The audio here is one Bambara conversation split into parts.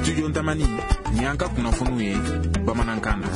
Studio Tamani, nin y'an ka kunnafoniw ye bamanankan na.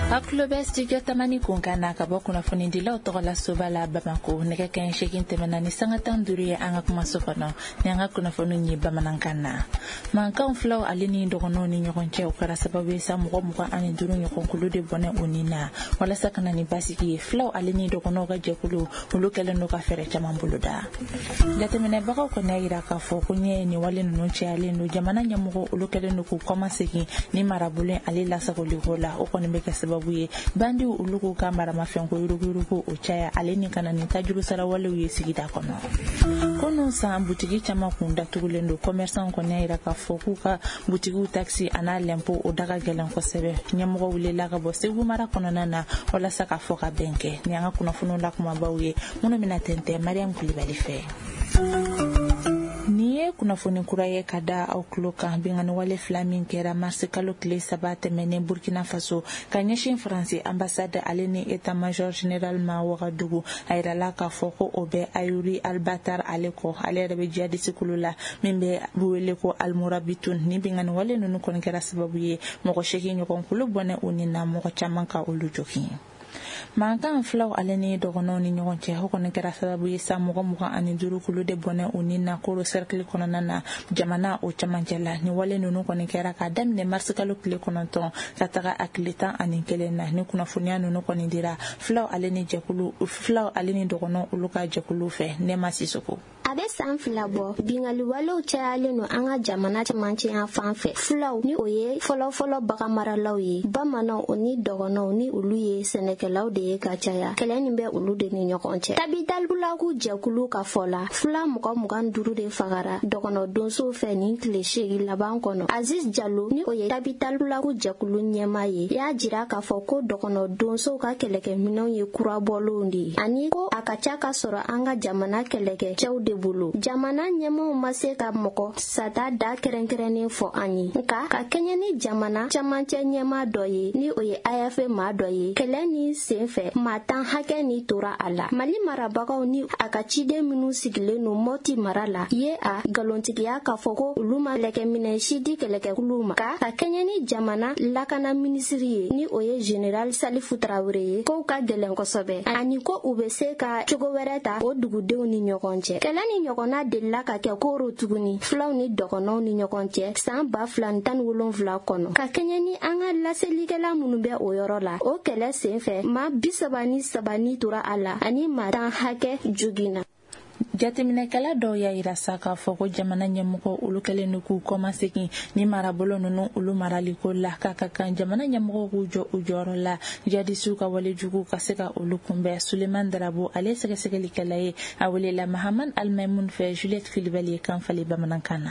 Aw tulo bɛ Studio Tamani kunkan na ka bɔ kunnafonidilaw tɔgɔ la soba la Bamako. Nɛgɛ kanɲɛ 8 tɛmɛna ni sanga 15 ye an ka kumaso kɔnɔ. Ni an ka kunnafoniw ye bamanankan na. Mankanw filaw ale ni dɔgɔnɔw ni ɲɔgɔn cɛ, o kɛra sababu ye sa mɔgɔ 25 ɲɔgɔn kulu de bɔnɛ u ni na. Walasa ka na ni basigi ye, filaw ale ni dɔgɔnɔw ka jɛkulu olu kɛlen don ka fɛɛrɛ caman boloda. Jateminɛbagaw kɔni y'a yira k'a fɔ ko ɲɛ nin wale ninnu cayalen don. Jamana ɲɛmɔgɔ olu kɛlen don k'u kɔmasegin ni marabolo ale lasagoliko la. O kɔni bɛ kɛ sababu ye bandiw olu k'u ka maramafɛnko yuruguyurugu o caya, ale ni ka na ni tajuru sarawalew ye sigida kɔnɔ. Kunun san butigi caman kun datugulen don. Commerçant kɔni y'a yira k'a fɔ k'u ka butigiw taxe a n'a lɛnpo o da ka gɛlɛn kosɛbɛ. Ɲɛmɔgɔ wulila ka bɔ Segu mara kɔnɔna na walasa k'a fɔ ka bɛn kɛ. Ni an ka kunnafoniw la kumabaw ye minnu bɛna tɛntɛn Mariam Kulibali fɛ. Nin ye kunnafoni kura ye ka da aw tulo kan. Binkanni wale fila min kɛra marisi kalo tile 3 tɛmɛnen Burkina Faso ka ɲɛsin Faransi ambassade ale ni état major général ma Wagadugu, a yirala k'a fɔ ko o bɛ Ayuri Albatar ale kɔ. Ale yɛrɛ bɛ jihadisi kulu la min bɛ wele ko Almurabitun. Ni binkanni wale ninnu kɔni kɛra sababu ye mɔgɔ 8 ɲɔgɔn kulu bɔnɛ u ni na, mɔgɔ caman ka olu jogin. Mankan filaw ale ni dɔgɔnɔw ni ɲɔgɔn cɛ, o kɔni kɛra sababu ye sa mɔgɔ 25 kulu de bɔnɛ u ni na Koro cercle kɔnɔna na, jamana o camancɛ la. Ni wale ninnu kɔni kɛra k'a daminɛ marisi kalo tile 9 ka taga a tile 11 na. Ni kunnafoniya ninnu kɔni dira filaw ale ni jɛkulu filaw ale ni dɔgɔnɔw olu ka jɛkulu fɛ. Nɛma Sisoko. A bɛ san 2 bɔ, binkanniwalew cayalen don an ka jamana cɛmancɛ yan fan fɛ. Fulaw ni o ye fɔlɔfɔlɔ baganmaralaw ye, bamananw o ni dɔgɔnɔw ni olu ye sɛnɛkɛlaw de ye ka caya. Kɛlɛ nin bɛ olu de ni ɲɔgɔn cɛ. Tabital Pulaku jɛkulu ka fɔ la, fula mɔgɔ 25 de fagara dɔgɔnɔ donsow fɛ nin tile 8 laban kɔnɔ. Aziz Jalo ni o ye Tabital Pulaku jɛkulu ɲɛmaa ye, y'a jira k'a fɔ ko dɔgɔnɔ donsow ka kɛlɛkɛminɛnw ye kurabɔlenw de ye, ani ko a ka ca ka sɔrɔ an ka jamana kɛlɛkɛ cɛw de bolo. Jamana ɲɛmaaw ma se ka mɔgɔ sata da kɛrɛnkɛrɛnnen fɔ an ye, nka ka kɛɲɛ ni jamana camancɛ ɲɛmaa dɔ ye ni o ye AFP maa dɔ ye, kɛlɛ ni senfɛ maa 10 hakɛ ni tora a la. Mali marabagaw ni a ka ciden minnu sigilen don Mɔti mara la ye a nkalontigiya k'a fɔ ko olu ma kɛlɛkɛminɛn si di kɛlɛkɛkuluw ma, nka ka kɛɲɛ ni jamana lakana minisiri ye ni o ye Général Salifu Tarawele ye, kow ka gɛlɛn kosɛbɛ, ani ko u bɛ se ka cogo wɛrɛ ta o dugudenw ni ɲɔgɔn cɛ. Kɛlɛ ni ɲɔgɔnna delila ka kɛ Koro tuguni filaw ni dɔgɔnɔw ni ɲɔgɔn cɛ san 2017 kɔnɔ. Ka kɛɲɛ ni an ka laselikɛla minnu bɛ o yɔrɔ la, o kɛlɛ senfɛ maa 33 ni tora a la, ani maa 10 hakɛ joginna. Jateminɛkɛla dɔw y'a yira sa k'a fɔ ko jamana ɲɛmɔgɔ olu kɛlen don k'u kɔmasegin ni marabolo ninnu olu maraliko la, k'a ka kan jamana ɲɛmɔgɔw k'u jɔ u jɔyɔrɔ la jihadisiw ka walejugu ka se ka olu kunbɛn. Suleiman Darabo ale ye sɛgɛsɛgɛlikɛla ye, a welela Mahaman Almaimun fɛ. Juliette Kulibali ye kan falen bamanankan na.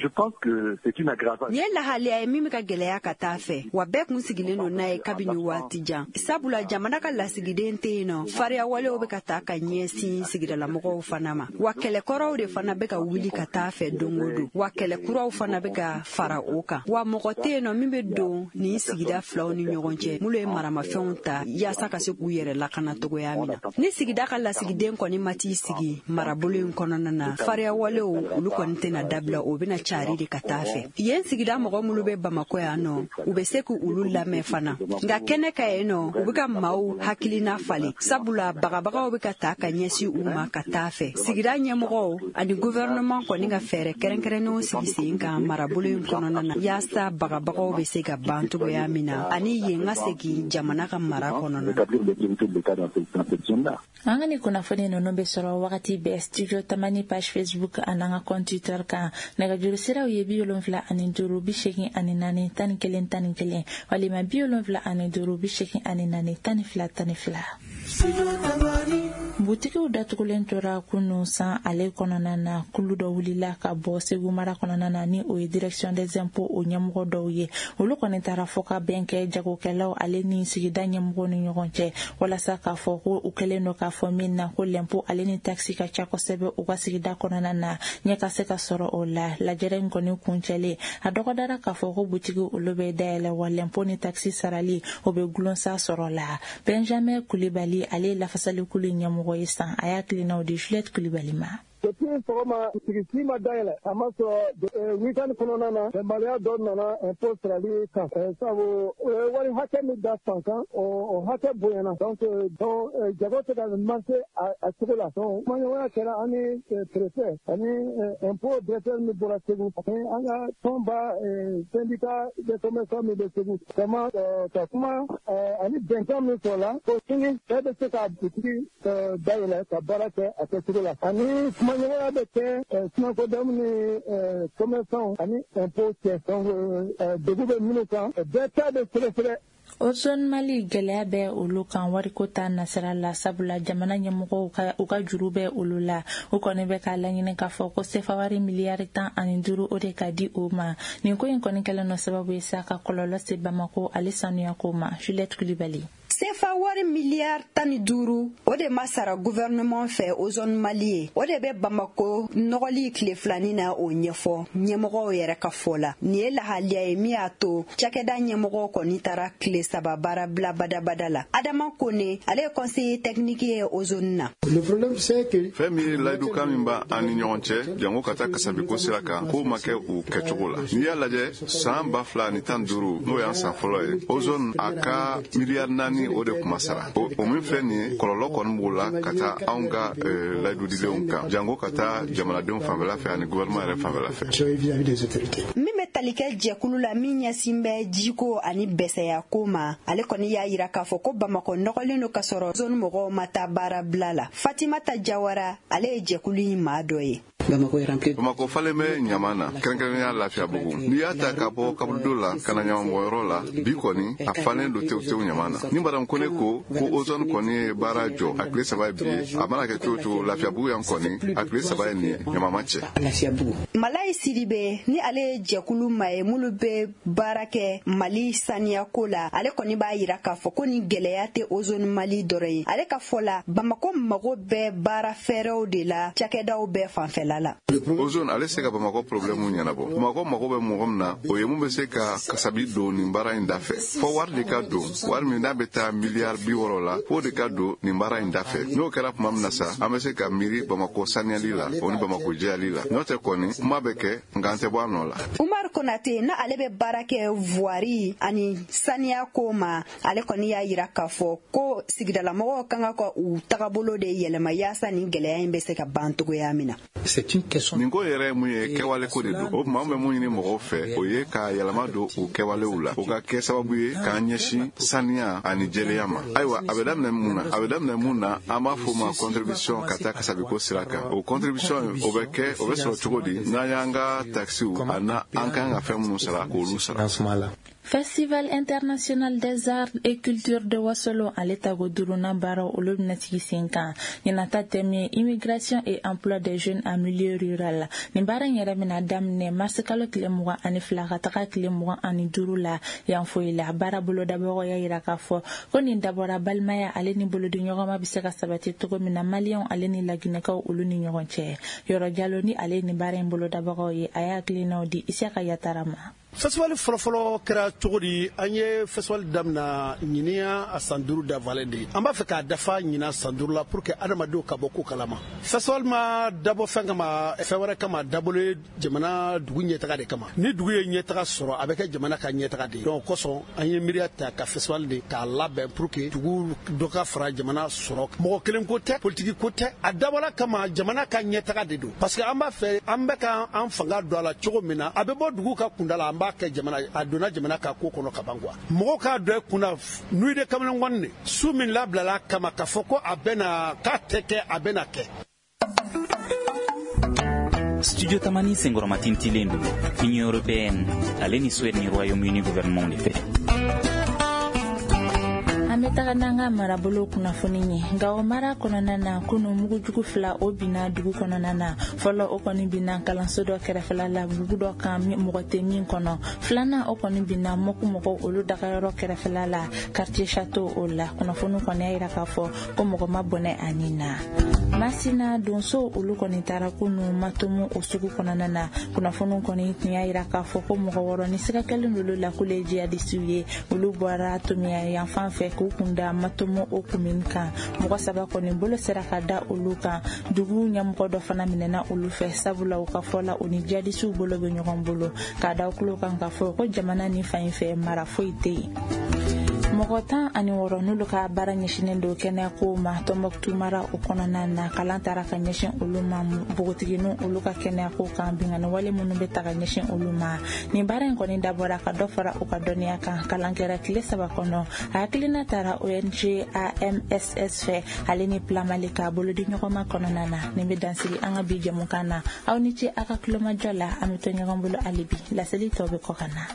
Je pense que c'est une aggravation. Nin ye lahalaya ye min bɛ ka gɛlɛya ka taa fɛ, wa bɛɛ kun sigilen don n'a ye kabini waati jan, sabula jamana ka lasigiden tɛ yen nɔ. Fariya walew bɛ ka taa ka ɲɛsin sigidalamɔgɔw fana ma, wa kɛlɛkɔrɔw de fana bɛ ka wuli ka taa fɛ don o don, wa kɛlɛkuraw fana bɛ ka fara o kan, wa mɔgɔ tɛ yen nɔ min bɛ don nin sigida filaw ni ɲɔgɔn cɛ minnu ye maramafɛnw ta yaasa ka se k'u yɛrɛ lakana cogoya min na. Ni sigida ka lasigiden kɔni ma t'i sigi marabolo in kɔnɔna na, fariya walew olu kɔni tɛna dabila, o bɛna cari de ka taa fɛ. Yen sigida mɔgɔ minnu bɛ Bamakɔ yan nɔ, u bɛ se k'olu lamɛn fana, nka kɛnɛ ka yen nɔ, u bɛ ka maaw hakilina falen, sabula bagabagaw bɛ ka taa ka ɲɛsin u ma ka taa fɛ. Sigida ɲɛmɔgɔw ani gouvernement kɔni ka fɛɛrɛ kɛrɛnkɛrɛnnenw sigi sen kan marabolo in kɔnɔna na, yaasa bagabagaw bɛ se ka ban cogoya min na, ani yen ka segin jamana ka mara kɔnɔna na. An ka ni kunnafoni ninnu bɛ sɔrɔ wagati bɛɛ Studio Tamani page Facebook ani an ka compte Twitter kan. Nɛgɛjuru siraw ye 75 84 11 11 walima 75 84 12 12. Butigiw datugulen tora kunun san ale kɔnɔna na. Kulu dɔ wulila ka bɔ Segu mara kɔnɔna na ni o ye direction des impôts o ɲɛmɔgɔ dɔw ye. Olu kɔni taara fɔ ka bɛn kɛ jagokɛlaw ale ni sigida ɲɛmɔgɔw ni ɲɔgɔn cɛ, walasa k'a fɔ ko u kɛlen don k'a fɔ min na ko lɛnpo ale ni taxi ka ca kosɛbɛ u ka sigida kɔnɔna na, ɲɛ ka se ka sɔrɔ o la. Lajɛrɛ in kɔni kuncɛlen, a dɔgɔdara k'a fɔ ko butigiw olu bɛ dayɛlɛ, wa lɛnpo ni taxi sarali o bɛ gulon sa sɔrɔ la. Benjamin Kulibali ale ye lafasalikulu ɲɛmɔgɔ ye san, a y'a tilinaw di Juliette Kulibali ma. Depuis sɔgɔma butigi ma dayɛlɛ, a ma sɔrɔ weekend kɔnɔna na, bɛnbaliya dɔ nana impôt sarali kan, sabu wari hakɛ min da fan kan, o hakɛ bonyana. Donc jago tɛ ka marcher a cogo la. Donc kumaɲɔgɔnya kɛra an ni préfet ani impôt directeur min bɔra Segu, ani an ka tɔnba syndicat des commerçants min bɛ Segu. Vraiment, ka kuma ani bɛnkan min sɔrɔla ko sini bɛɛ bɛ se ka butigi dayɛlɛ ka baara kɛ a kɛcogo la, ani kumaɲɔgɔnya bɛ kɛ SYNACODEM ni commerçants ani impôt cɛ. Donc degun bɛ minnu kan, bɛɛ ta bɛ sɛgɛsɛgɛ. Ozone Mali, gɛlɛya bɛ olu kan wariko ta nasira la, sabula jamana ɲɛmɔgɔw ka u ka juru bɛ olu la. U kɔni bɛ k'a laɲini k'a fɔ ko sefa wari miliyari 15, o de ka di o ma. Nin ko in kɔni kɛlen no sababu ye sa ka kɔlɔlɔ se Bamako ale sanuyako ma. Juliette Kulibali. Sefa wari miliyari 15, o de ma sara gouvernement fɛ Ozone Mali ye. O de bɛ Bamako nɔgɔli tile filanin na, o ɲɛfɔ ɲɛmɔgɔw yɛrɛ ka fɔ la. Nin ye lahaliya ye min y'a to cakɛda ɲɛmɔgɔw kɔni taara tile 3 baara bila badabada la. Adama Kone, ale ye conseiller technique ye Ozone na. Fɛn min ye layidukan min b'a an ni ɲɔgɔn cɛ, jango ka taa kasabiko sira kan, k'o ma kɛ u kɛcogo la. N'i y'a lajɛ, san 2015, n'o y'an san fɔlɔ ye, Ozone a ka miliyari 4, o de kuma sara. O min filɛ nin ye, kɔlɔlɔ kɔni b'o la ka taa anw ka layidudilenw kan, jango ka taa jamanadenw fanfɛla fɛ ani gouvernement yɛrɛ fanfɛla fɛ. Min bɛ tali kɛ jɛkulu la min ɲɛsin bɛ jiko ani bɛsɛyako ma, ale kɔni y'a yira k'a fɔ ko Bamakɔ nɔgɔlen don, ka sɔrɔ zone mɔgɔw ma taa baara bila la. Fatimata Jawara, ale ye jɛkulu in maa dɔ ye. Bamakɔ falen bɛ ɲama na, kɛrɛnkɛrɛnnenya Lafiyabugu. N'i y'a ta ka bɔ kaburudo la ka na ɲamabɔyɔrɔ la, bi kɔni a falen don tewu tewu ɲama na. Ni madame Kone ko ko Ozone kɔni ye baara jɔ a tile 3 ye bi ye, a mana kɛ cogo cogo, Lafiyabugu yan kɔni, a tile 3 ye nin ye, ɲama ma cɛ. Malayi Sidibe, ni ale ye jɛkulu maa ye minnu bɛ baara kɛ Mali saniyako la, ale kɔni b'a yira k'a fɔ ko nin gɛlɛya tɛ Ozone Mali dɔrɔn ye. Ale ka fɔ la, Bamako mago bɛ baara fɛɛrɛw de la cakɛdaw bɛɛ fanfɛla la. Ozone ale se ka Bamakɔ problème ɲɛnabɔ. Bamakɔ mago bɛ mɔgɔ min na, o ye mun bɛ se ka kasabi don nin baara in da fɛ. Fɔ wari de ka don, wari min n'a bɛ taa miliyari 60 la, f'o de ka don nin baara in da fɛ. N'o kɛra tuma min na sa, an bɛ se ka miiri Bamakɔ saniyali la, o ni Bamakɔ jɛyali la. N'o tɛ kɔni, kuma bɛ kɛ, nka an tɛ bɔ a nɔ la. Umar Konate, na ale bɛ baara kɛ voirie ani saniya ko ma, ale kɔni y'a yira k'a fɔ ko sigidalamɔgɔw kan ka u tagabolo de yɛlɛma yaasa nin gɛlɛya in bɛ se ka ban cogoya min na. Nin ko yɛrɛ ye mun ye? Kɛwale ko de don. O tuma, an bɛ mun ɲini mɔgɔw fɛ, o ye ka yɛlɛma don u kɛwalew la, o ka kɛ sababu ye k'an ɲɛsin saniya ani jɛlenya ma. Ayiwa, a bɛ daminɛ mun na? A bɛ daminɛ mun na? An b'a fɔ o ma contribution ka taa kasabiko sira kan. O contribution, o bɛ kɛ, o bɛ sɔrɔ cogo di? N'an y'an ka taxiw a na an kan ka fɛn minnu sara, k'olu sara. Festival international des arts et cultures de Wasolo, ale tago duurunan baaraw, olu bɛna sigi sen kan. Ɲinata thème ye immigration et emploi des jeunes en milieu rural. Nin baara in yɛrɛ bɛna daminɛ mars kalo tile 22 ka taga tile 25 la Yanfoyi la. Baara bolodabagaw y'a yira k'a fɔ ko nin dabɔra balimaya ale ni bolodiɲɔgɔnma bɛ se ka sabati cogo min na Maliyɛnw ale ni Laginɛkaw olu ni ɲɔgɔn cɛ. Yɔrɔ Jalo, ni ale ni baara in bolodabagaw ye, a y'a hakilinaw di Isiyaka Yatara ma. Festival fɔlɔfɔlɔ kɛra cogo di? An ye festival daminɛ ɲiniya a san 5 dafalen de ye. An b'a fɛ k'a dafa ɲina san 5 la pour que adamadenw ka bɔ ko kalama. Festival ma dabɔ fɛn kama, fɛn wɛrɛ kama, dabɔlen jamana dugu ɲɛtaga de kama. Ni dugu ye ɲɛtaga sɔrɔ, a bɛ kɛ jamana ka ɲɛtaga de ye. Donc kosɔn, an ye miiriya ta ka festival de k'a labɛn pour que dugu dɔ ka fara jamana sɔrɔ. Mɔgɔ kelen ko tɛ, politiki ko tɛ, a dabɔla kama jamana ka ɲɛtaga de don, parce que an b'a fɛ an bɛ ka an fanga don a la cogo min na, a bɛ bɔ dugu ka kunda la, an b'a kɛ jamana, a donna jamana ka ko kɔnɔ ka ban quoi. Mɔgɔw k'a dɔn kunna nuit de kamalenkɔni de su min labilala kama k'a fɔ ko a bɛna k'a tɛ kɛ, a bɛna kɛ. Studio Tamani senkɔrɔmatintilen don Union européenne ale ni Suède ni Royaume-Uni gouvernement de fɛ. An bɛ taga n'an ka marabolo kunnafoni ye. Nka o mara kɔnɔna na, kunu mugujugu fila, o binna dugu kɔnɔna na. Fɔlɔ, o kɔni binna kalanso dɔ kɛrɛfɛla la bugu dɔ kan, mɔgɔ tɛ min kɔnɔ. Filanan, o kɔni binna Mɔku mɔgɔw olu dagayɔrɔ kɛrɛfɛla la, quartier Château o la. Kunnafoni kɔni y'a yira k'a fɔ ko mɔgɔ ma bɔnɛ ani na. Masina donso olu kɔni taara kunu Matomu o sugu kɔnɔna na. Kunnafoni kɔni tun y'a yira k'a fɔ ko mɔgɔ 6 ni siga kɛlen olu la k'olu ye jihadisiw ye, olu bɔra Tomiya yanfan fɛ k'u kunda Matomo o commune kan. Mɔgɔ 3 kɔni bolo sera ka da olu kan. Dugu ɲɛmɔgɔ dɔ fana minɛna olu fɛ, sabula u ka fɔ la, u ni jihadisiw bolo bɛ ɲɔgɔn bolo. K'a da tulo kan k'a fɔ ko jamana ni fan in fɛ, mara foyi tɛ yen. Mɔgɔ 16 n'olu ka baara ɲɛsinnen don kɛnɛyako ma Tɔnbɔkutu mara o kɔnɔna na, kalan taara ka ɲɛsin olu ma, npogotigininw olu ka kɛnɛyako kan, binkanni wale minnu bɛ ta ka ɲɛsin olu ma. Nin baara in kɔni dabɔra ka dɔ fara u ka dɔnniya kan. Kalan kɛra tile 3 kɔnɔ. A hakilina taara ONG AMSS fɛ, ale ni Plan Mali ka bolodi ɲɔgɔnma kɔnɔna na. Nin bɛ dansigi an ka bi jɛmukan na. Aw ni ce aw ka tulomajɔ la. An bɛ to ɲɔgɔn bolo hali bi. Laseli tɔ bɛ kɔ ka na.